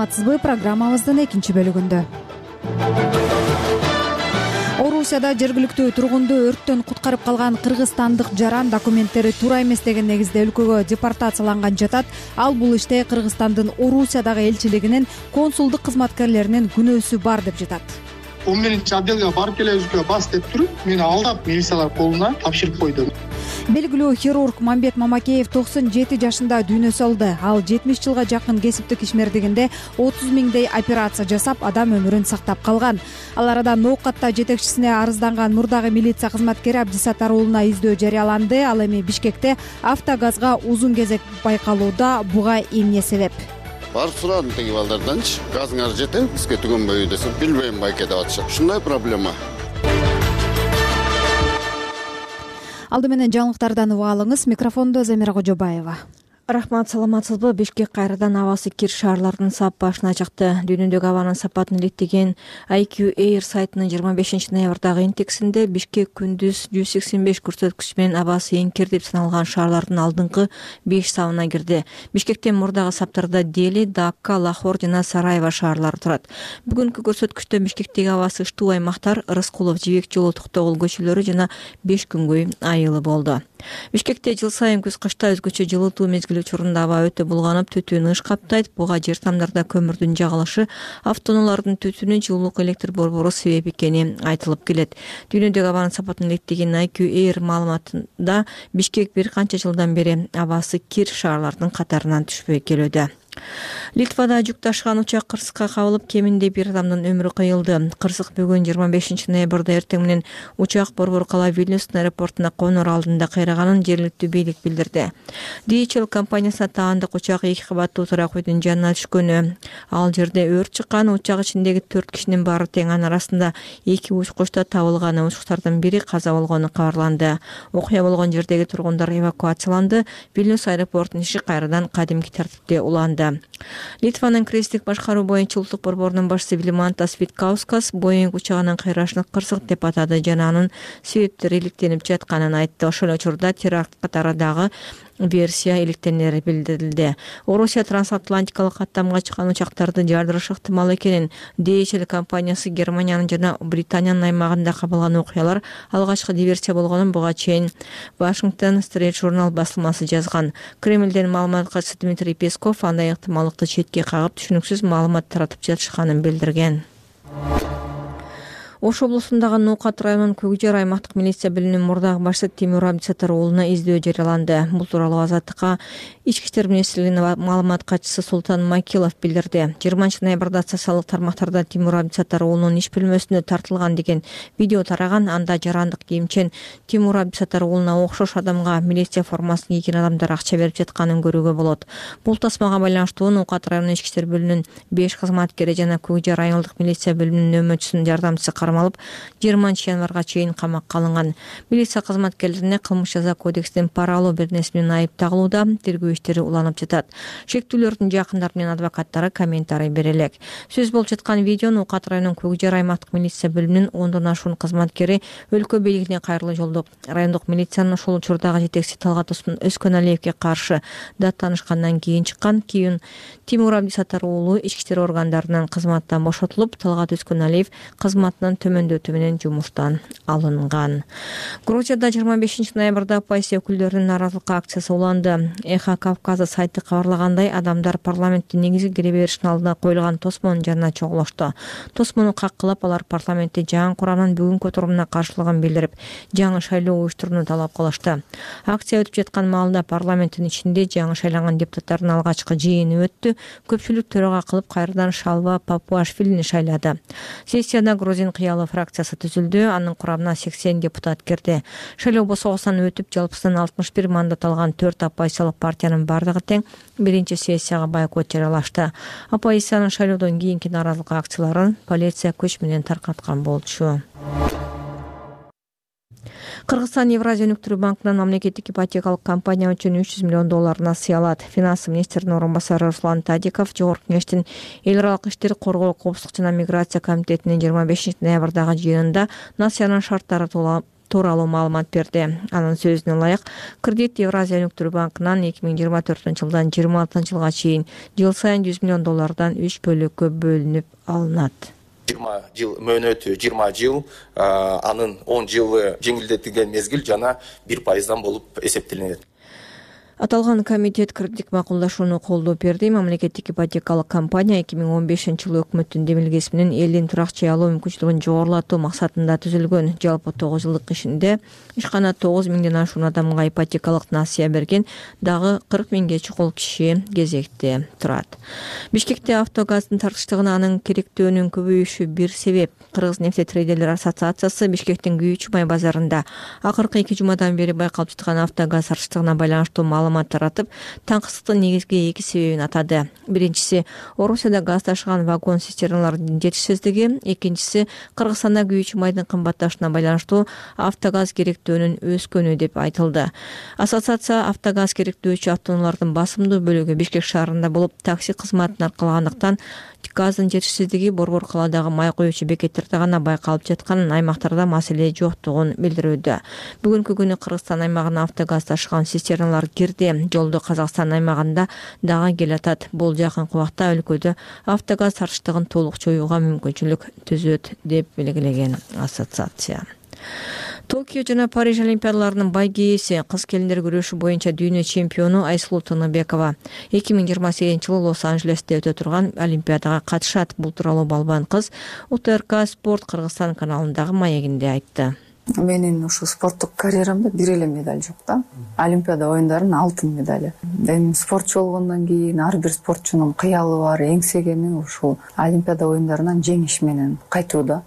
саламатсызбы? Программабыздын экинчи бөлүгүндө Орусияда жергиликтүү тургунду өрттөн куткарып калган кыргызстандык жаран документтери туура эмес деген негизде өлкөгө депортацияланган жатат. Ал бул иште Кыргызстандын Орусиядагы элчилигинин консулдук кызматкерлеринин күнөөсү бар деп жатат. Он менинчи отделге барып келебизбе бас деп туруп, мени алдап милициялар колуна тапшырып койду. Белгилүү хирург Мамбет Мамакеев 97 жашында дүйнө салды. Ал 70 жылга жакын кесиптик ишмердигинде 30 миңдей операция жасап, адам өмүрүн сактап калган. Ал арада ноокатта жетекчисине арызданган мурдагы милиция кызматкери Абдисаттар уулуна издөө жарыяланды. Ал эми Бишкекте автогазга узун кезек байкалууда. Буга эмне себеп? Барып сурадым теги балдарданчы. Газыңар жетеби бизге түгөнбөйбү десем, билбейм байке деп атышат. Ушундай проблема. Алды менен жаңылыктардан уга алыңыз. Микрофондо Замира Кожобаева. Рахмат, саламатсызбы? Бишкек кайрадан абасы кир шаарлардын саппашына чыкты. Дүйнөдөгү абанын сапатын илеттеген IQ Air сайтынын 25 ноябрдагы индексинде Бишкек күндүз 185 көрсөткүч менен абасы эң кир деп саналган шаарлардын алдыңкы 5 сабына кирди. Бишкектен мурдагы саптарда Дели, Дакка, Лахор жана Сараево шаарлары турат. Бүгүнкү көрсөткүчтө Бишкектеги абасы ыштуу аймактар Рыскулов, Жибек жолу, Токтогул көчөлөрү жана 5 күнгөй айылы болду. Бишкекте жыл сайын күз-кышта өзгөчө жылытуу мезгили учурунда аба өтө булганып, түтүн ыш каптайт. Буга жер тамдарда көмүрдүн жагылышы, автоунаалардын түтүнү, жылуулук электр борбору себеп экени айтылып келет. Дүйнөдөгү абанын сапатын илеттеген IQ Air маалыматында Бишкек бир канча жылдан бери абасы кир шаарлардын катарынан түшпөй келүүдө. Литвада жүк ташыган учак кырсыкка кабылып, кеминде бир адамдын өмүрү кыйылды. Кырсык бүгүн 25 ноябрда эртең менен учак борбор кала Вильнюстун аэропортуна конор алдында кыйраганын жергиликтүү бийлик билдирди. DHL компаниясына таандык учак 2 кабаттуу турак үйдүн жанына түшкөнү. Ал жерде өрт чыккан. Учак ичиндеги 4 кишинин баары тең, анын арасында 2 учкуч да табылган. Учкучтардын бири каза болгону кабарланды. Окуя болгон жердеги тургундар эвакуацияланды. Вильнюс аэропортунун иши кайрадан кадимки тартипте уланды. Литванын кризистик башкаруу боюнча улуттук борборунун башчысы Вилмантас Виткаускас Боинг учагынын кыйрашын кырсык деп атады жана анын себептери иликтенип жатканын айтты. Ошол учурда теракт катарындагы версия иликтенери билдирилди. Орусия трансатлантикалык каттамга чыккан учактарды жардырышы ыктымал экенин DHL компаниясы Германиянын жана Британиянын аймагында кабылган окуялар алгачкы диверсия болгонун буга чейин Washington Street Journal басылмасы жазган. Кремлден маалымат катчысы Дмитрий Песков андай ыктымалдыкты четке кагып, түшүнүксүз маалымат таратып жатышканын билдирген. Ош облусундагы Ноокат районунун Көкжер аймактык милиция бөлүмүнүн мурдагы башчысы Тимур Абдисаттар уулуна издөө жарыяланды. Бул тууралуу Азаттыкка Ички иштер министрлигинин маалымат катчысы Султан Макилов билдирди. 20 ноябрда социалдык тармактарда Тимур Абдисаттар уулунун иш бөлмөсүнө тартылган деген видео тараган. Анда жарандык кийимчен Тимур Абдисаттар уулуна окшош адамга милиция формасын кийген адамдар акча берип жатканын көрүүгө болот. Бул тасмага байланыштуу Ноокат районунун ички иштер бөлүмүнүн 5 кызматкери жана Көкжер айылдык милиция бөлүмүнүн нөмөтчүсүнүн жардамчысы кармалып, 20 январга чейин камакка алынган. Милиция кызматкерлерине кылмыш жаза кодексинин пара алуу беренеси менен айып тагылууда. Тергөө иштери уланып жатат. Шектүүлөрдүн жакындары менен адвокаттары комментарий бере элек. Сөз болуп жаткан видеону Ноокат районунун Көкжер аймактык милиция бөлүмүнүн 10дон ашуун кызматкери өлкө бийлигине кайрылуу жолдоп, райондук милициянын ошол учурдагы жетекчиси Талгат Өскөналиевге каршы даттанышкандан кийин чыккан. Кийин Тимур Абдисаттар уулу ички иштер органдарынын кызматтан бошотулуп, Талгат Өскөналиев кызматынан төмөндөтүү менен жумуштан алынган. Грузияда 25 ноябрда оппозиция өкүлдөрүнүн нааразылык акциясы уланды. Эхо Кавказа сайты кабарлагандай, адамдар парламенттин негизги кире беришинин алдына коюлган тосмонун жанына чогулушту. Тосмону каккылап, алар парламентте жаңы курамдын бүгүнкү отурумуна каршылыгын билдирип, жаңы шайлоо уюштурууну талап кылышты. Акция өтүп жаткан маалда парламенттин ичинде жаңы шайланган депутаттардын алгачкы жыйыны өттү. Көпчүлүк төрага кылып кайрадан Шалва Папуашвилини шайлады. Сессияда Грузин кыялы фракциясы түзүлдү. Анын курамына 80 депутат кирди. Шайлоо босогосунан өтүп, жалпысынан 61 мандат алган 4 оппозициялык партиянын бардыгы тең биринчи сессияга бойкот жарыялашты. Оппозициянын шайлоодон кийинки нааразылык акцияларын полиция күч менен таркаткан болчу. Кыргызстан Евразия өнүктүрүү банкынан мамлекеттик ипотекалык компания үчүн $300 миллион насыя алат. Финанс министринин орун басары Руслан Тадиков Жогорку кеңештин эл аралык иштер, коргоо, коопсуздук жана миграция комитетинин 25 ноябрдагы жыйынында насыянын шарттары тууралуу маалымат берди. Анын сөзүнө ылайык, кредит Евразия өнүктүрүү банкынан 2024-жылдан 2026-жылга чейин жыл сайын $100 миллион 3 бөлүккө бөлүнүп алынат. 20 жыл мөөнөтү 20 жыл, анын 10 жылы жеңилдетилген мезгил жана 1% болуп эсептелинет. Аталган комитет кредиттик макулдашууну колдоо берди. Мамлекеттик ипотекалык компания 2015-жылы өкмөттүн демилгеси менен элдин турак жай алуу мүмкүнчүлүгүн жогорулатуу максатында түзүлгөн. Жалпы 9 жылдык ишинде ишкана 9 миңден ашуун адамга ипотекалык насыя берген, дагы 40 миңге чукул киши кезекте турат. Бишкекте автогаздын тартыштыгына анын керектөөнүн көбөйүшү бир себеп. Кыргыз нефтетрейдерлер ассоциациясы Бишкектин Күйүүчү май базарында акыркы 2 жумадан бери байкалып жаткан автогаз тартыштыгына байланыштуу маалымат таратып, таңкысыздыктын негизги 2 себебин атады. Биринчиси Орусияда газ ташыган вагон цистерналардын жетишсиздиги, экинчиси Кыргызстанда күйүүчү майдын кымбатташына байланыштуу автогаз керектөөнүн өскөнү деп айтылды. Ассоциация автогаз керектөөчү автоунаалардын басымдуу бөлүгү Бишкек шаарында болуп, такси кызматын аркалагандыктан газдын жетишсиздиги Борбор калаадагы май коюучу бекеттерде гана байкалып жаткан, аймактарда маселе жоктугун билдирүүдө. Бүгүнкү күнү Кыргызстан аймагына автогаз ташыган цистерналар кирди. Жолдо Казакстан аймагында дагы келатат. Бул жакынкы убакта өлкөдө автогаз тартыштыгын толук жоюуга мүмкүнчүлүк түзөт деп белгилеген ассоциация. Токио жана Париж олимпиадаларынын байгээси, кыз келиндер күрөшү боюнча дүйнө чемпиону Айсулуу Тыныбекова 2028-жылы Лос-Анжелесте өтө турган олимпиадага катышат. Бул тууралуу балбан кыз УТРК Спорт Кыргызстан каналындагы маегинде айтты. Менин ушу спорттук карьерамда бир эле медаль жок да. Олимпиада оюндарынын алтын медали. Эми спортчу болгондон кийин ар бир спортчунун кыялы бар, эңсегени ушул Олимпиада оюндарынан жеңиш менен кайтуу да.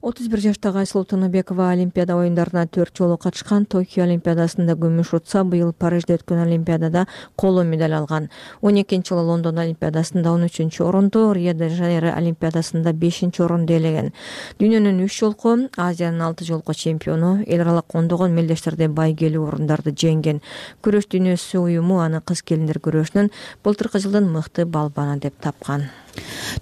31 жаштагы Айсулуу Тыныбекова Олимпиада оюндарына 4 жолу катышкан. Токио олимпиадасында күмүш утса, быйыл Парижде өткөн олимпиадада коло медаль алган. 12-жылы Лондон олимпиадасында 13-чү орунду, Рио-де-Жанейро олимпиадасында 5-чи орунду ээлеген. Дүйнөнүн 3 жолку, Азиянын 6 жолку чемпиону, эл аралык ондогон мелдештерде байгелүү орундарды жеңген. Күрөш дүйнөсү уюму аны кыз келиндер күрөшүнүн былтыркы жылдын мыкты балбаны деп тапкан.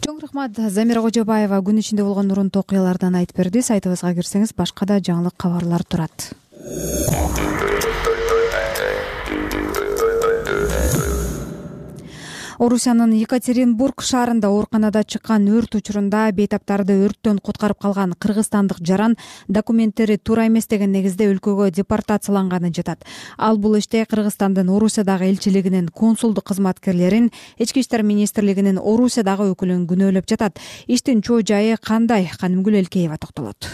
Чоң рахмат. Замира Кожобаева күн ичинде болгон урунтуу окуялардан айтып берди. Сайтыбызга кирсеңиз башка да жаңылык кабарлар турат. Орусиянын Екатеринбург шаарында ооруканада чыккан өрт учурунда бейтаптарды өрттөн куткарып калган кыргызстандык жаран документтери туура эмес деген негизде өлкөгө депортацияланганы жатат. Ал бул иште Кыргызстандын Орусиядагы элчилигинин консулдук кызматкерлерин, Ички иштер министрлигинин Орусиядагы өкүлүн күнөөлөп жатат. Иштин чоо жайы кандай? Канымгүл Элкеева токтолот.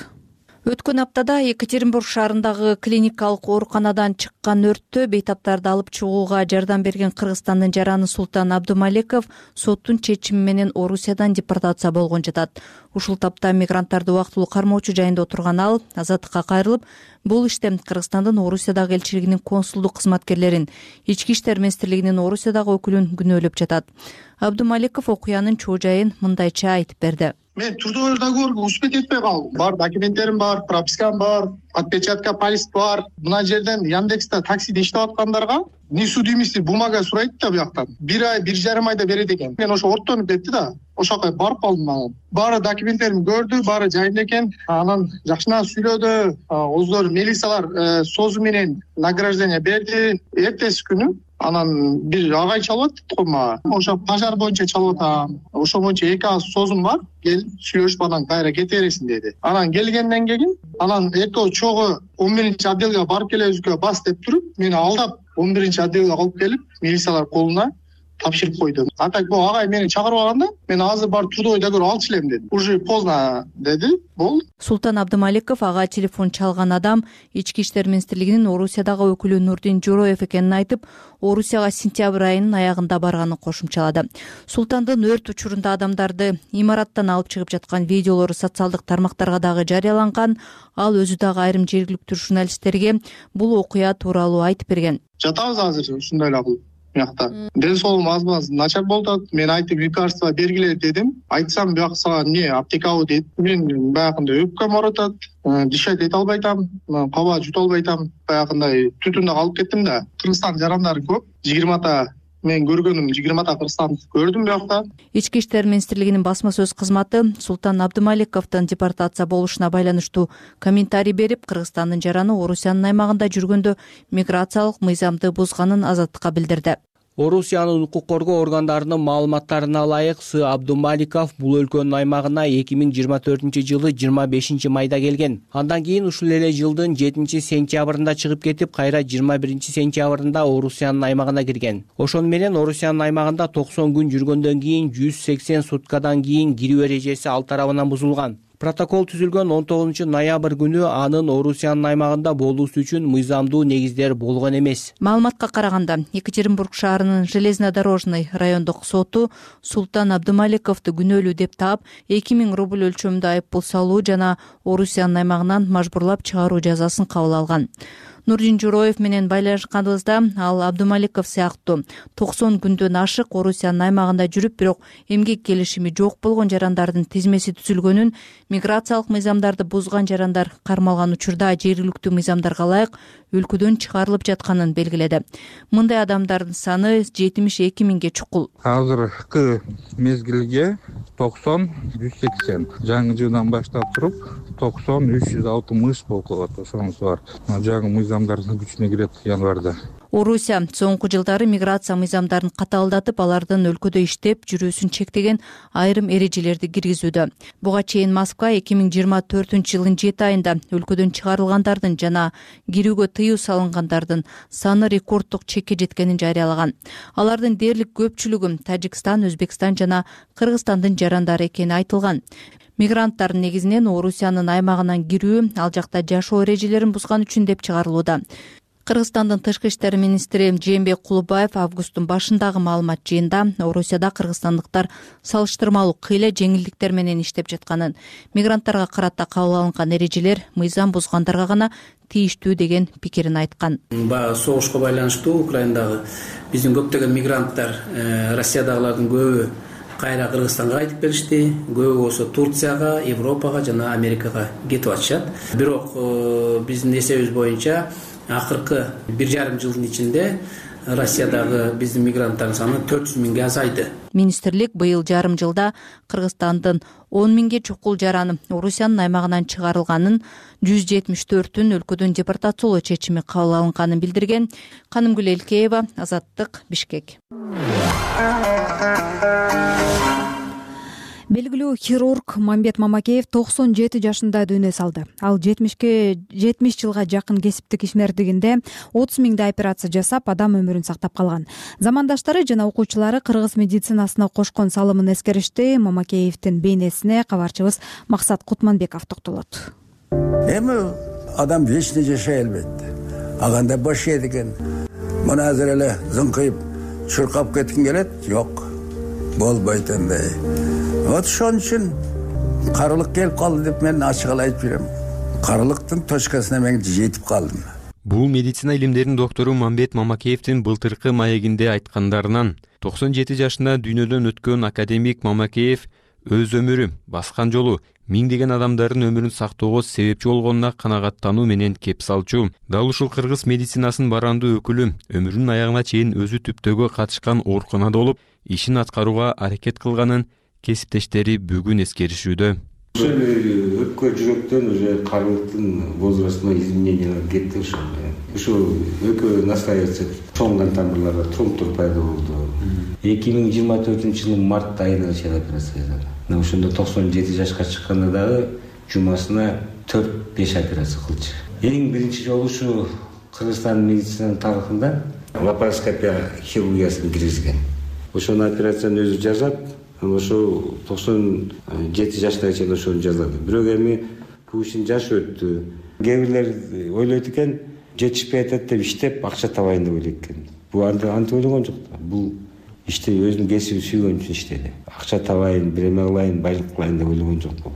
Өткөн аптада Екатеринбург шаарындагы клиникалык ооруканадан чыккан өрттө бейтаптарды алып чыгууга жардам берген Кыргызстандын жараны Султан Абдумалеков соттун чечими менен Орусиядан депортация болгон жатат. Ушул тапта мигранттарды убактылуу кармоочу жайында отурган ал азаттыкка кайрылып, бул иште Кыргызстандын Орусиядагы элчилигинин консулдук кызматкерлерин, Ички иштер министрлигинин Орусиядагы өкүлүн күнөөлөп жатат. Абдумалеков окуянын чоо жайын мындайча айтып берди. Мен трудовой договорго успеть этпей калдым. Бар документтерим бар, пропискам бар, отпечатка палец бар. Мына жерден Яндекста таксиде иштеп аткандарга несудимости бумага сурайт да бияктан. 1 ай, 1,5 айда берет экен. Мен ошо ортонуп кетти да. Ошол жака барып калдым. Баары документтерим көрдү, баары жайында экен. Анан жакшынан сүйлөдү. Оздор милициялар созу менен награждение берди. Эртеси күнү анан бир агай чалып атты го мага. Ошо пожар боюнча чалып атам. Ошо боюнча 2 аз созум бар. Кел сүйлөшүп анан кайра кете бересиң деди. Анан келгенден кийин анан экөө чогуу 11-чи отделге барып келебизге бас деп туруп, мени алдап 11-чи отделге алып келип, милициялар колуна тапшырып койду. А так бул агай мени чакырып алганда, мен азыр бар трудовой договор алчу элем дедим. Уже поздно деди. Бул Султан Абдумалеков ага телефон чалган адам Ички иштер министрлигинин Орусиядагы өкүлү Нурдин Жороев экенин айтып, Орусияга сентябрь айынын аягында барганын кошумчалады. Султандын өрт учурунда адамдарды имараттан алып чыгып жаткан видеолору социалдык тармактарга дагы жарыяланган. Ал өзү дагы айрым жергиликтүү журналисттерге бул окуя тууралуу айтып берген. Жатабыз азыр ушундай эле кылып. Мякта. Ден соолугум аз начар болуп атат. Мен айтып лекарство бергиле дедим. Айтсам бияк сага эмне аптекабы дейт. Мен баягында өпкөм ооратат, дышать эте албайтам, каба жута албайтам. Баягындай түтүндө калып кеттим да. Кыргызстан жарандары көп. 20та мен көргөнүм 20 кыргызстанды көрдүм биякта. Ички иштер министрлигинин басма сөз кызматы Султан Абдумаликовдун депортация болушуна байланыштуу комментарий берип, Кыргызстандын жараны Орусиянын аймагында жүргөндө миграциялык мыйзамды бузганын Азаттыкка билдирди. Орусиянын укук коргоо органдарынын маалыматтарына ылайык, С. Абдумаликов бул өлкөнүн аймагына 2024-жылы 25 майда келген. Андан кийин ушул эле жылдын 7-сентябрында чыгып кетип, кайра 21-сентябрында Орусиянын аймагына кирген. Ошону менен Орусиянын аймагында 90 күн жүргөндөн кийин 180 суткадан кийин кирүү эрежеси ал тарабынан бузулган. Протокол түзүлгөн 19 ноябрь күнү анын Орусиянын аймагында болуусу үчүн мыйзамдуу негиздер болгон эмес. Маалыматка караганда, Екатеринбург шаарынын Железнодорожный райондук соту Султан Абдумаликовду күнөөлүү деп таап, 2000 рубль өлчөмүндө айыппул салуу жана Орусиянын аймагынан мажбурлап чыгаруу жазасын кабыл алган. Нурдин Журоев менен байланышканыбызда ал Абдумаликов сыяктуу 90 күндөн ашык Орусиянын аймагында жүрүп, бирок эмгек келишими жок болгон жарандардын тизмеси түзүлгөнүн, миграциялык мыйзамдарды бузган жарандар кармалган учурда жергиликтүү мыйзамдарга ылайык өлкөдөн чыгарылып жатканын белгиледи. Мындай адамдардын саны 72 миңге чукул. Азыркы мезгилге 90-180. Жаңы жылдан баштап туруп 90-360 болуп калат. Ошонусу бар. Жаңы мыйзамдардын күчүнө кирет январда. Орусия соңку жылдары миграция мыйзамдарын катаалдатып, алардын өлкөдө иштеп жүрүүсүн чектеген айрым эрежелерди киргизүүдө. Буга чейин Москва 2024-жылдын 7 айында өлкөдөн чыгарылгандардын жана кирүүгө тыюу салынгандардын саны рекорддук чекке жеткенин жарыялаган. Алардын дээрлик көпчүлүгү Тажикстан, Өзбекстан жана Кыргызстандын жарандары экени айтылган. Мигранттар негизинен Орусиянын аймагынан кирүү, ал жакта жашоо эрежелерин бузган үчүн деп чыгарылууда. Кыргызстандын тышкы иштер министри Жээнбек Кулубаев августтун башындагы маалымат жыйында Орусияда кыргызстандыктар салыштырмалуу кыйла жеңилдиктер менен иштеп жатканын, мигранттарга карата кабыл алынган эрежелер мыйзам бузгандарга гана тийиштүү деген пикирин айткан. Баягы согушка байланыштуу Украинадагы биздин көптөгөн мигранттар, Россиядагылардын көбү кайра Кыргызстанга кайтып келишти, көбү болсо Турцияга, Европага жана Америкага кетип атышат. Бирок биздин эсебибиз боюнча акыркы 1,5 жылдын ичинде Россиядагы биздин мигранттардын саны 400 миңге азайды. Министрлик быйыл жарым жылда Кыргызстандын 10 миңге чукул жараны Орусиянын аймагынан чыгарылганын, 174-ün өлкөдөн депортациялоо чечими кабыл алынганын билдирген. Канымгүл Элкеева, Азаттык, Бишкек. Белгилүү хирург Мамбет Мамакеев 97 жашында дүйнө салды. Ал 70 жылга жакын кесиптик ишмердигинде 30 миңдей операция жасап, адам өмүрүн сактап калган. Замандаштары жана окуучулары кыргыз медицинасына кошкон салымын эскеришти. Мамакеевдин бейнесине кабарчыбыз Максат Кутманбеков токтолот. Эми адам вечный жашай албайт. Аганда бош эдиген. Мына азыр эле зыңкыйып, чуркап кеткин келет? Жок. Болбойт андай. Вот ошон үчүн карылык келип калды деп мен ачык эле айтып берем. Карылыктын точкасына мен жетип калдым. Бул медицина илимдеринин доктору Мамбет Мамакеевдин былтыркы маегинде айткандарынан 97 жашында дүйнөдөн өткөн академик Мамакеев өз өмүрү, баскан жолу миңдеген адамдардын өмүрүн сактоого себепчи болгонуна канагаттануу менен кеп салчу. Дал ушул кыргыз медицинасынын барандуу өкүлү өмүрүнүн аягына чейин өзү түптөөгө катышкан ооруканада болуп, ишин аткарууга аракет кылганын кесиптештери бүгүн эскеришүүдө. Ошол өпкө жүрөктөн уже карылыктын возрастына изменениялар кетти ошол. Ушул өпкө настраиваться чоңган тамырларда тромбтор пайда болду. 2024-жылдын март айында чейин операция жасады. Ошондо 97 жашка чыкканда дагы жумасына 4-5 операция кылчу. Эң биринчи жолу ушу Кыргызстан медицинанын тарыхында лапароскопия хирургиясын киргизген. Ошол операцияны өзү жасап, ошо 97 жашына чейин ошону жазады. Бирок эми бул ишин жаш өттү. Кээ бирлер ойлойт экен, жетишпей атат деп иштеп акча табайын деп ойлойт экен. Бул антип ойлогон жок да. Бул иште өзүнүн кесибин сүйгөн үчүн иштеди. Акча табайын, биреме кылайын, байлык кылайын деп ойлогон жок бул.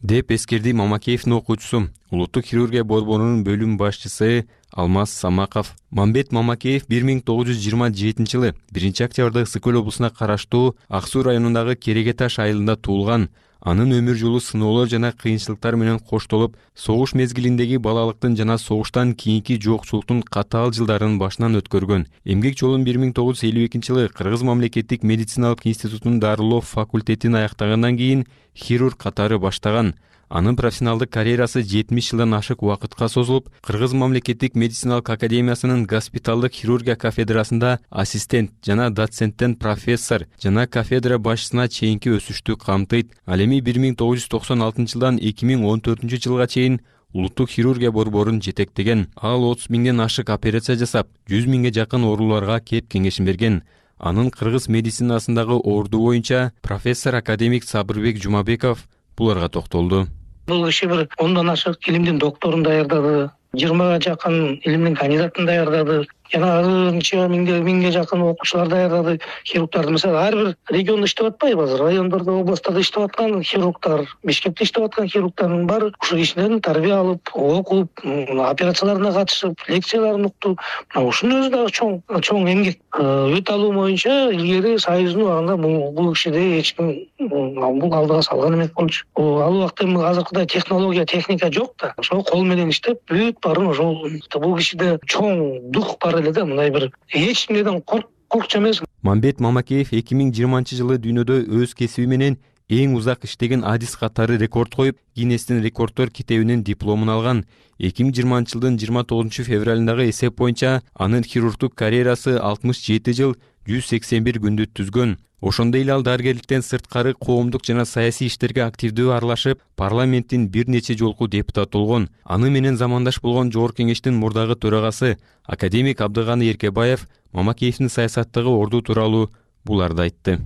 Деп эскерди Мамакеевдин окуучусу, улуттук хирургия борборунун бөлүм башчысы Алмаз Самаков. Мамбет Мамакеев 1927-жылы 1 октябрда Ысык көл облусуна караштуу Ак Суу районундагы Кереге Таш айылында туулган. Анын өмүр жолу сыноолор жана кыйынчылыктар менен коштолуп, согуш мезгилиндеги балалыктын жана согуштан кийинки жокчулуктун катаал жылдарын башынан өткөргөн. Эмгек жолун 1952-жылы Кыргыз мамлекеттик медициналык институтунун дарылоо факультетин аяктагандан кийин хирург катары баштаган. Анын профессионалдык карьерасы 70 жылдан ашык убакытка созулуп, Кыргыз мамлекеттик медициналык академиясынын госпиталдык хирургия кафедрасында ассистент жана доценттен профессор жана кафедра башчысына чейинки өсүштү камтыйт. Ал эми 1996 жылдан 2014 жылга чейин улуттук хирургия борборун жетектеген. Ал 30 миңден ашык операция жасап, 100 миңге жакын ооруларга кеп кеңешин берген. Анын кыргыз медицинасындагы орду боюнча профессор академик Сабырбек Жумабеков буларга токтолду. Бул киши бир 10дан ашык илимдин докторун даярдады, 20га жакын илимдин кандидатын даярдады, жана анча миңге жакын окуучулар даярдады, хирургдарды. Мисалы, ар бир региондо иштеп атпайбы азыр? Райондордо, областтарда иштеп аткан хирургдар, Бишкекте иштеп аткан хирургдардын баары ушул кишилердин тарбия алып, окуп, операцияларына катышып, лекцияларын укту. Ушунун өзү дагы чоң эмгек. Өт алуу боюнча илгери Союздун убагында бул кишиде эч ким бул алдыга салган эмес болчу. Ал убакта азыркыдай технология, техника жок да. Ошол кол менен иштеп, бүт баарын ошол. Бул кишиде чоң дух бар эле да, мындай бир эч кимден коркчу эмес. Мамбет Мамакеев 2020-жылы дүйнөдө өз кесиби менен эң узак иштеген адис катары рекорд коюп, Гиннестин рекорддор китебинин дипломун алган. 2020-жылдын 29 февралындагы эсеп боюнча анын хирургдук карьерасы 67 жыл 181 күндү түзгөн. Ошондой эле ал дарыгерликтен сырткары коомдук жана саясий иштерге активдүү аралашып, парламенттин бир нече жолку депутаты болгон. Аны менен замандаш болгон Жогорку кеңештин мурдагы төрагасы академик Абдыганы Эркебаев Мамакеевдин саясаттагы орду тууралуу буларды айтты.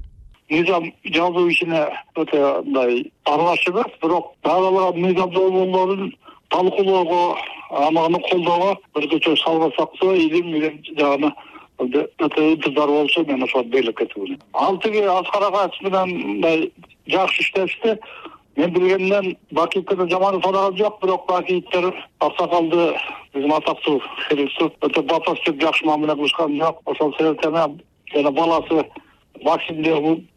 Мыйзам жазуу ишине өтө мындай аралашып, бирок дагы мыйзам долбоорлорун талкуулоого, аны колдоого бирдече салгасакса, илим менен жагына өтө ынтызар болсо, мен ошого берилип кетип. Ал тиги Аскар агачы менен мындай жакшы иштешти. Мен билгенден Бакиевден жаман фарагат жок, бирок Бакиевдер аксакалды биздин атактуу хирург өтө батастып жакшы мамиле кылышкан жок. Ошол себептен жана баласы Максимде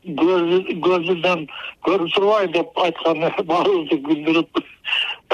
көзүнөн көрүп турбайт деп айткан баарыбызды күлдүрүп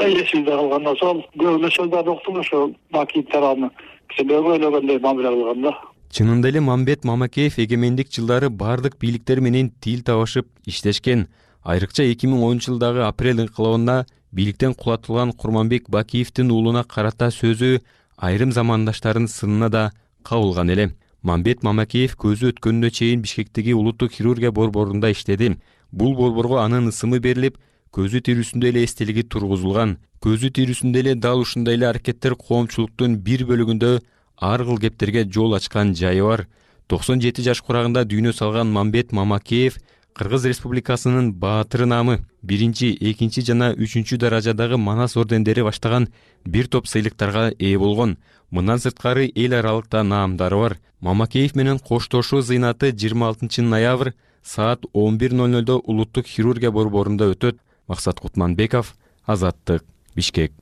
эсимде калган. Ошол көбүнө сөздөрдү уктум, ошол Бакиевдер аны кишилерге ойлогондой мамиле кылган да. Чынында эле Мамбет Мамакеев эгемендик жылдары бардык бийликтер менен тил табышып иштешкен. Айрыкча 2010-жылдагы апрель инкылабында бийликтен кулатылган Курманбек Бакиевдин уулуна карата сөзү айрым замандаштардын сынына да кабылган эле. Мамбет Мамакеев көзү өткөнүнө чейин Бишкектеги улуттук хирургия борборунда иштеди. Бул борборго анын ысымы берилип, көзү тирүүсүндө эле эстелиги тургузулган. Көзү тирүүсүндө эле дал ушундай эле аракеттер коомчулуктун бир бөлүгүндө ар кыл кептерге жол ачкан жайы бар. 97 жаш курагында дүйнө салган Мамбет Мамакеев Кыргыз Республикасынын баатыры наамы, 1, 2 жана 3 даражадагы Манас ордендери баштаган бир топ сыйлыктарга ээ болгон. Мындан сырткары эл аралыкта наамдары бар. Мамакеев менен коштошуу зыйнаты 26 ноябрь саат 11:00 улуттук хирургия борборунда өтөт. Максат Кутманбеков, Азаттык, Бишкек.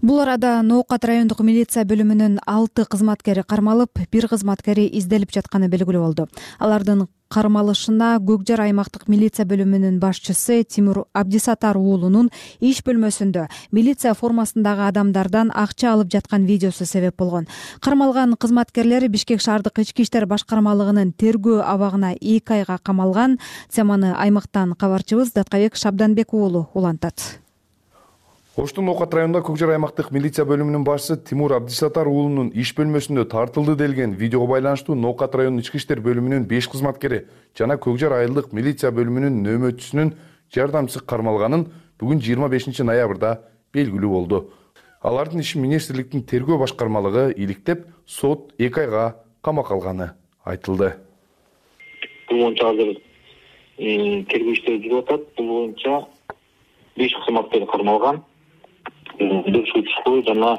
Бул арада Ноокат райондук милиция бөлүмүнүн 6 кызматкери кармалып, 1 кызматкери изделип жатканы белгилүү болду. Алардын кармалышына Көкжар аймактык милиция бөлүмүнүн башчысы Тимур Абдисатар уулунун иш бөлмөсүндө милиция формасындагы адамдардан акча алып жаткан видеосу себеп болгон. Кармалган кызматкерлер Бишкек шаардык ички иштер башкармалыгынын тергөө абагына 2 айга камалган. Теманы аймактан кабарчыбыз Даткабек Шабданбек уулу улантат. Оштун Ноокат районунда Көкжар аймактык милиция бөлүмүнүн башчысы Тимур Абдисатар уулунун иш бөлмөсүндө тартылды делген видеого байланыштуу Ноокат районунун ички иштер бөлүмүнүн 5 кызматкери жана Көкжар айылдык милиция бөлүмүнүн нөөмөтчүсүнүн жардамчысы кармалганын бүгүн 25 ноябрда белгилүү болду. Алардын ишин министрликтин тергөө башкармалыгы иликтеп, сот 2 айга камакка алганы айтылды. Бул боюнча азыр тергөө иштери жүрүп атат. Бул боюнча 5 кызматкер кармалган. Бир суучу жана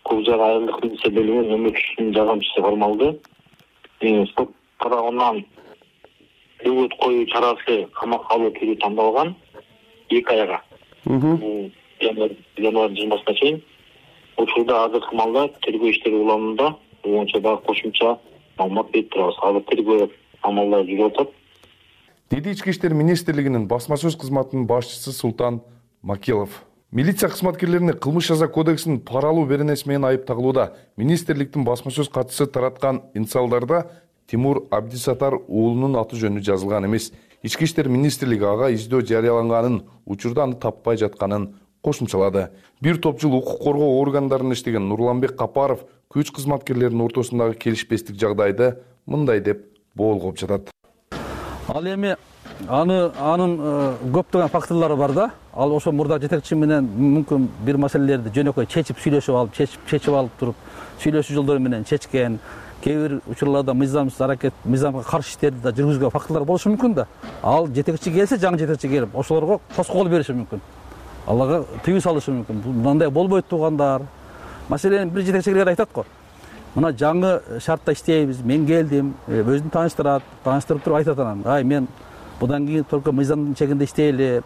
Көкжар айылдык милиция бөлүмүнүн нөөмөтчүсүнүн жардамчысы кармалды. Сот тарабынан дөбөт коюу чарасы камакка алуу түрү тандалган 2 айга. Январь 20-сына чейин. Учурда азыркы маалда тергөө иштери уланууда. Бул боюнча дагы кошумча маалымат берип турабыз. Азыр тергөө амалдары жүрүп атат. деди Ички иштер министрлигинин басма сөз кызматынын башчысы Султан Макелов. Милиция кызматкерлерине кылмыш жаза кодексинин пара алуу беренеси менен айыпталууда. Министрликтин басма сөз катчысы тараткан инсалдарда Тимур Абдисатар уулунун аты жөнү жазылган эмес. Ички иштер министрлиги ага издөө жарыяланганын, учурда аны таппай жатканын кошумчалады. Бир топ жыл укук коргоо органдарында иштеген Нурланбек Капаров күч кызматкерлеринин ортосундагы келишпестик жагдайды мындай деп боолгоп жатат. Ал эми анын көптөгөн факторлору бар да. Ал ошо мурда жетекчи менен мүмкүн бир маселелерди жөнөкөй чечип алып туруп, сүйлөшүү жолдору менен чечкен. Кээ бир учурларда мыйзамга каршы иштерди да жүргүзгөн факторлор болушу мүмкүн да. Ал жетекчи келсе, жаңы жетекчи келип, ошолорго тоскоол бериши мүмкүн. Аларга тыюу салышы мүмкүн. Мындай болбойт туугандар. Маселени бир жетекчилер айтат го. Мына жаңы шартта иштейбиз, мен келдим, өзүн тааныштырып туруп айтат анан. Ай, мен будан кийин только мыйзамдын чегинде иштейли,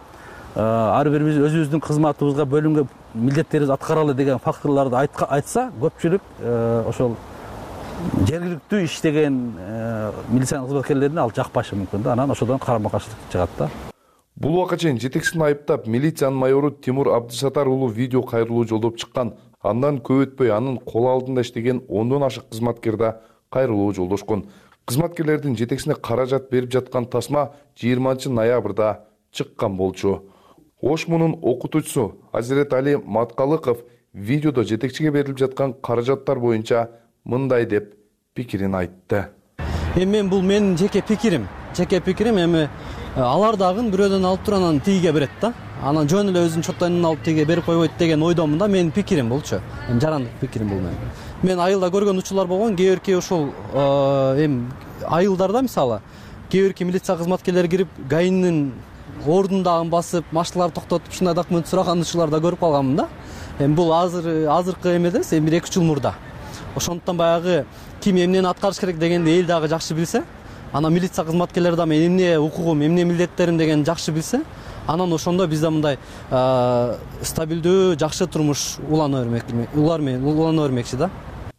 ар бирибиз өзүбүздүн кызматыбызга бөлүнгөн милдеттерибизди аткаралы деген факторлорду айтса, көпчүлүк ошол жергиликтүү иштеген милициянын кызматкерлерине ал жакпашы мүмкүн да. Анан ошодон карама-каршылык чыгат да. Бул убакка чейин жетекчисин айыптап, милициянын майору Тимур Абдисатар уулу видео кайрылуу жолдоп чыккан. Андан көп өтпөй анын кол алдында иштеген 10дон ашык кызматкер да кайрылуу жолдошкон. Кызматкерлердин жетекчисине каражат берип жаткан тасма 20 ноябрда чыккан болчу. Ошмунун окутуучусу Азирет Али Маткалыков видеодо жетекчиге берилип жаткан каражаттар боюнча мындай деп пикирин айтты. Мен бул менин жеке пикирим. Эми алар дагы бирөөдөн алып туруп анан тигиге берет да. Анан жөн эле өзүнүн чоттойнун алып тиге берип койбойт деген ойдомун да. Менин пикирим болчу. Жарандык пикирим бул менин. Мен айылда көргөн учурлар болгон, кээ бирки ошол айылдарда мисалы кээ бирки милиция кызматкерлери кирип ГАИнин ордундагын басып, машиналарды токтотуп ушундай документ сураган учурларда көрүп калганмын да. Бул азыркы эмеде, бир 2 жыл мурда. Ошондуктан баягы ким эмнени аткарыш керек дегенди эл дагы жакшы билсе, анан милиция кызматкерлери да мен эмне укугум, эмне милдеттерим дегенди жакшы билсе, анан ошондо бизде мындай стабилдүү, жакшы турмуш улана бермекчи да.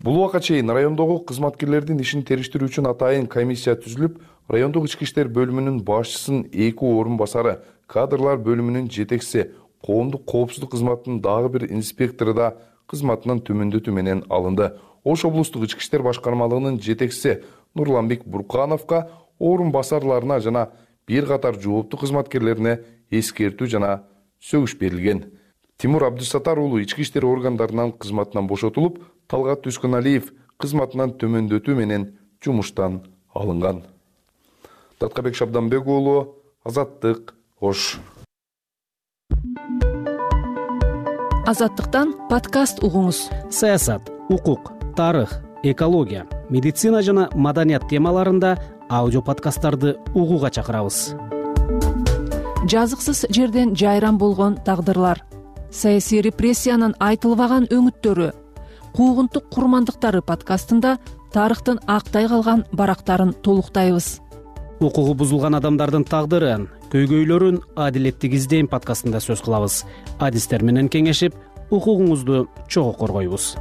Бул убакка чейин райондогу кызматкерлердин ишин териштирүү үчүн атайын комиссия түзүлүп, райондук ички иштер бөлүмүнүн башчысынын 2 орун басары, кадрлар бөлүмүнүн жетекчиси, коомдук коопсуздук кызматынын дагы бир инспектору да кызматынан төмөндөтүү менен алынды. Ош облустук ички иштер башкармалыгынын жетекчиси Нурланбек Буркановго, орун басарларына жана бир катар жооптуу кызматкерлерине эскертүү жана сөгүш берилген. Тимур Абдисатар уулу ички иштер органдарынан кызматынан бошотулуп, Талгат Түскөналиев кызматынан төмөндөтүү менен жумуштан алынган. Таткабек Шабданбек уулу, Азаттык, Ош. Азаттыктан подкаст угуңуз. Саясат, укук, тарых, экология, медицина жана маданият темаларында аудио подкасттарды угууга чакырабыз. Жазыксыз жерден жайран болгон тагдырлар, саясий репрессиянын айтылбаган өңүттөрү, куугунтук курмандыктары подкастында тарыхтын актай калган барактарын толуктайбыз. Укугу бузулган адамдардын тагдырын, көйгөйлөрүн адилеттик издейм подкастында сөз кылабыз. Адистер менен кеңешип, укугуңузду чогуу коргойбуз.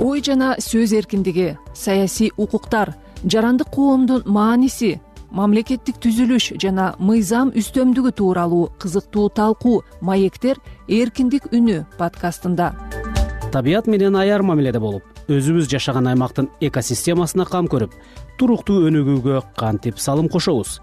Ой жана сөз эркиндиги, саясий укуктар, жарандык коомдун мааниси, мамлекеттик түзүлүш жана мыйзам үстөмдүгү тууралуу кызыктуу талкуу маектер эркиндик үнү подкастында. Табият менен аяр мамиледе болуп, өзүбүз жашаган аймактын экосистемасына кам көрүп, туруктуу өнүгүүгө кантип салым кошобуз.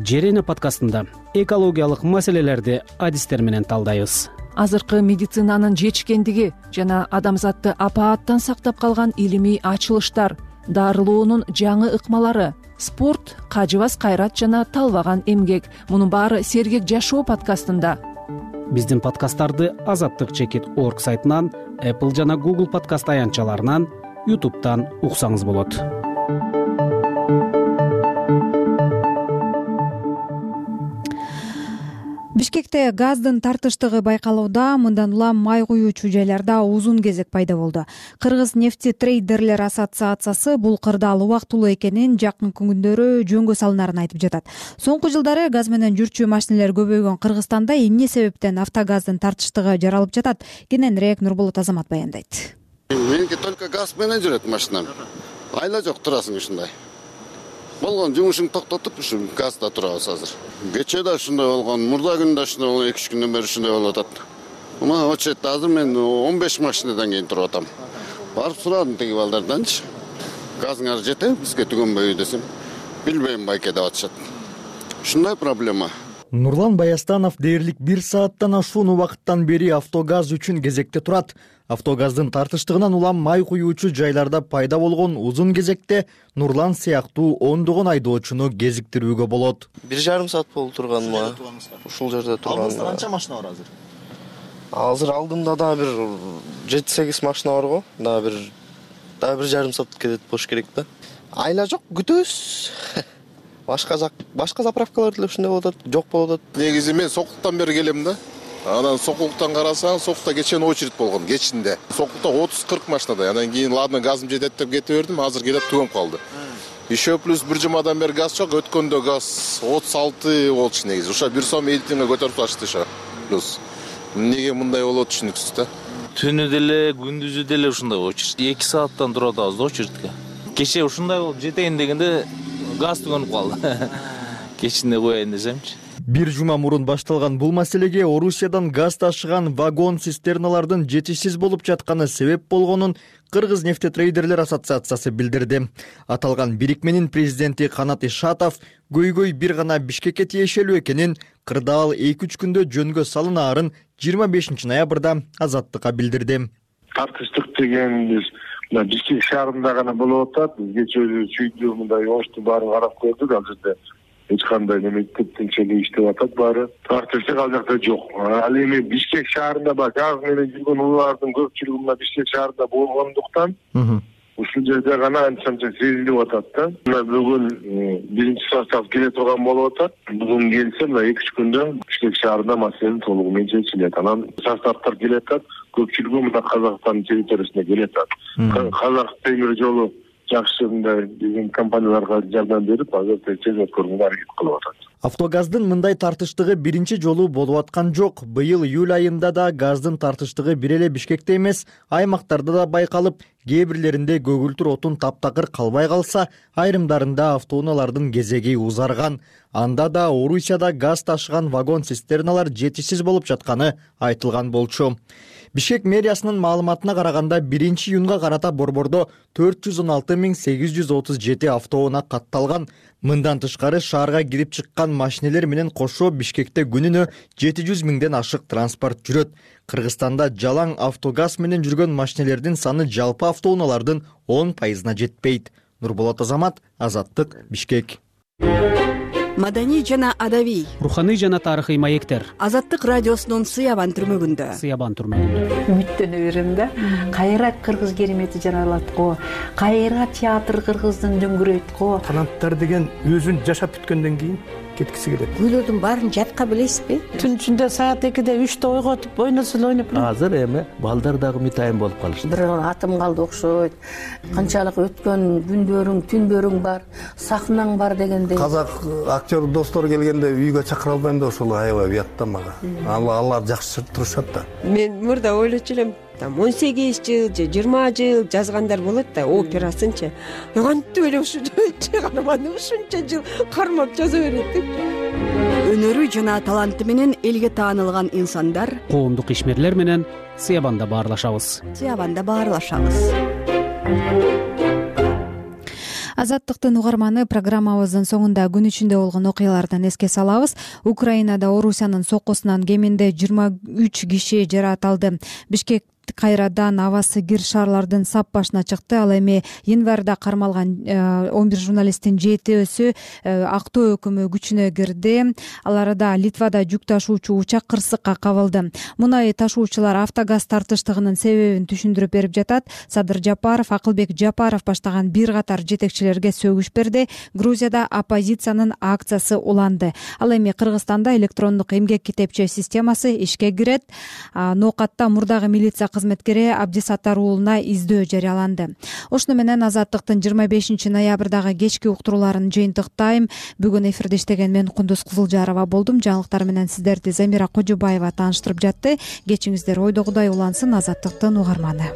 Жер эне подкастында экологиялык маселелерди адистер менен талдайбыз. Азыркы медицинанын жетишкендиги жана адамзатты апааттан сактап калган илимий ачылыштар, дарылоонун жаңы ыкмалары, спорт, кажыбас кайрат жана талбаган эмгек. Мунун баары Сергек жашоо подкастында. Биздин подкасттарды Азаттык _org сайтынан, Apple жана Google подкаст аянтчаларынан, YouTube'тан уксаңыз болот. Бишкекте газдын тартыштыгы байкалууда. Мындан улам май куюучу жайларда узун кезек пайда болду. Кыргыз нефти трейдерлер ассоциациясы бул кырдаал убактылуу экенин, жакын күндөрү жөнгө салынарын айтып жатат. Соңку жылдары газ менен жүрчү машинелер көбөйгөн Кыргызстанда эмне себептен автогаздын тартыштыгы жаралып жатат? Кененирээк Нурболот Азамат баяндайт. Меники только газ менен жүрөт машинам. Айла жок, турасың ушундай. болгон жумушуңду токтотуп ушу газда турабыз азыр. Кечээ да ушундай болгон, мурда күндө ушундай болгон, 2-3 күндөн бери ушундай болуп атат. Мына очередде азыр мен 15 машинадан кийин туруп атам. Барып сурадым тиги балдарданчы. Газыңар жетеби бизге түгөнбөйбү десем, билбейм байке деп атышат. Ушундай проблема. Нурлан Баястанов дээрлик 1 сааттан ашуун убакыттан бери автогаз үчүн кезекте турат. Автогаздын тартыштыгынан улам май куюучу жайларда пайда болгон узун кезекте Нурлан сыяктуу ондогон айдоочуну кезиктирүүгө болот. 1,5 саат болуп турганыма. Ушул жерде турган. Алдыңызда канча машина бар азыр? Азыр алдымда да бир 7-8 машина бар го. Да бир 1,5 саат кетет болуш керек да. Айла жок, күтөбүз. Башка заправкалар деле ушундай болуп атат, жок болуп атат. Негизи мен Сокулуктан бери келем да. Анан Сокулуктан карасаң, Сокулукта кечен очередь болгон, кечинде. Сокулукта 30-40 машинада. Анан кийин ладно газым жетет деп кете бердим, азыр келет түгөнүп калды. Еще плюс бир жумадан бери газ жок, өткөндө газ 36 болчу негизи. Уша 1 сом 50 тиңге көтөрүп ташты ша. Плюс эмнеге мындай болот түшүнүксүз да. Түнү деле, күндүзү деле ушундай очередь. 2 сааттан туруп атабыз да очередке. Кечээ ушундай болуп жетейин дегенде газ түгөнүп калды. Кечинде коеюн десемчи. Бир жума мурун башталган бул маселеге Орусиядан газ ташыган вагон цистерналардын жетишсиз болуп жатканы себеп болгонун Кыргыз нефтетрейдерлер ассоциациясы билдирди. Аталган бирикменин президенти Канат Ишатов көйгөй бир гана Бишкекке тиешелүү экенин, кырдаал 2-3 күндө жөнгө салынаарын 25 ноябрда Азаттыкка билдирди. Тартыштык деген биз Бишкек шаарында гана болуп атат. Кечээ чүйдүү мындай ошту баарын карап көрдүк, ал жерде эч кандай тынчтег иштеп атат баары. Тартыштык ал жакта жок. Ал эми Бишкек шаарында бар газ менен жүргөн улуулардын көпчүлүгү мына Бишкек шаарында болгондуктан ушул жерде гана анча сезилип атат да. Мына бүгүн 1-состав келе турган болуп атат. Бүгүн келсе мына 2-3 күндө Бишкек шаарында маселе толугу менен чечилет. Анан составтар келе атат, көпчүлүгү мына Казакстан территориясына келе атат. Казак темир жолу жакшы мындай биздин компанияларга жардам берип, азыр тез өткөрүүгө аракет кылып атат. Автогаздын мындай тартыштыгы биринчи жолу болуп аткан жок. Быйыл июль айында да газдын тартыштыгы бир эле Бишкекте эмес, аймактарда да байкалып, кээ бирлеринде көгүлтүр отун таптакыр калбай калса, айрымдарында автоунаалардын кезеги узарган. Анда да Орусияда газ ташыган вагон цистерналар жетишсиз болуп жатканы айтылган болчу. Бишкек мэриясынын маалыматына караганда 1-июнга карата борбордо 416.837 автоунаа катталган. Мындан тышкары шаарга кирип чыккан машинелер менен кошо Бишкекте күнүнө 700.000ден ашык транспорт жүрөт. Кыргызстанда жалаң автогаз менен жүргөн машинелердин саны жалпы автоунаалардын 10%-на жетпейт. Нурболот Азамат, Азаттык, Бишкек. Маданий жана адабий, руханий жана тарыхый маектер. Азаттык радиосунун Сыябан түрмөгүндө. Үмүттөнө берем да. Кайра кыргыз керемети жаралат го. Кайра театр кыргыздын дөңгүрөйт го. Таланттар деген өзүн жашап бүткөндөн кийин кеткиси келет. Күйлөрдүн баарын жатка билесизби? Түн ичинде саат 2-де 3-те ойготуп ойносо эле ойноп. Азыр эми балдар дагы мытайын болуп калышты. Бир атым калды окшойт. Канчалык өткөн күндөрүң, түндөрүң бар, сахнаң бар дегендей. Казак актер достор келгенде үйгө чакыра албайм да, ошол аябай уят да мага. Алар жакшы турушат да. Мен мурда ойлочу элем, 18 жыл же 20 жыл жазгандар болот да, операсынчы. Кантип эле ушунча каарманды ушунча жыл кармап жаза берет деп. Өнөрү жана таланты менен элге таанылган инсандар, коомдук ишмерлер менен Сыябанда баарлашабыз. Азаттыктын угарманы программабыздын соңунда күн ичинде болгон окуялардан эске салабыз. Украинада Орусиянын соккусунан кеминде 23 киши жаракат алды. Бишкек кайрадан абасы кир шаарлардын сап башына чыкты. Ал эми январда кармалган 11 журналисттин 7-өсү актоо өкүмү күчүнө кирди. Аларда Литвада жүк ташуучу учак кырсыкка кабылды. Мунай ташуучулар автогаз тартыштыгынын себебин түшүндүрүп берип жатат. Садыр Жапаров, Акылбек Жапаров баштаган бир катар жетекчилерге сөгүш берди. Грузияда оппозициянын акциясы уланды. Ал эми Кыргызстанда электрондук эмгек китепче системасы ишке кирет. Ноокатта мурдагы милиция кызметкери Абдисаттар уулуна издөө жарыяланды. Ошону менен Азаттыктын 25 ноябрдагы кечки уктурууларын жыйынтыктайм. Бүгүн эфирде иштеген мен Кундуз Кызылжарова болдум. Жаңылыктар менен сиздерди Замира Кожубаева тааныштырып жатты. Кечиңиздер ойдогудай улансын. Азаттыктын угарманы.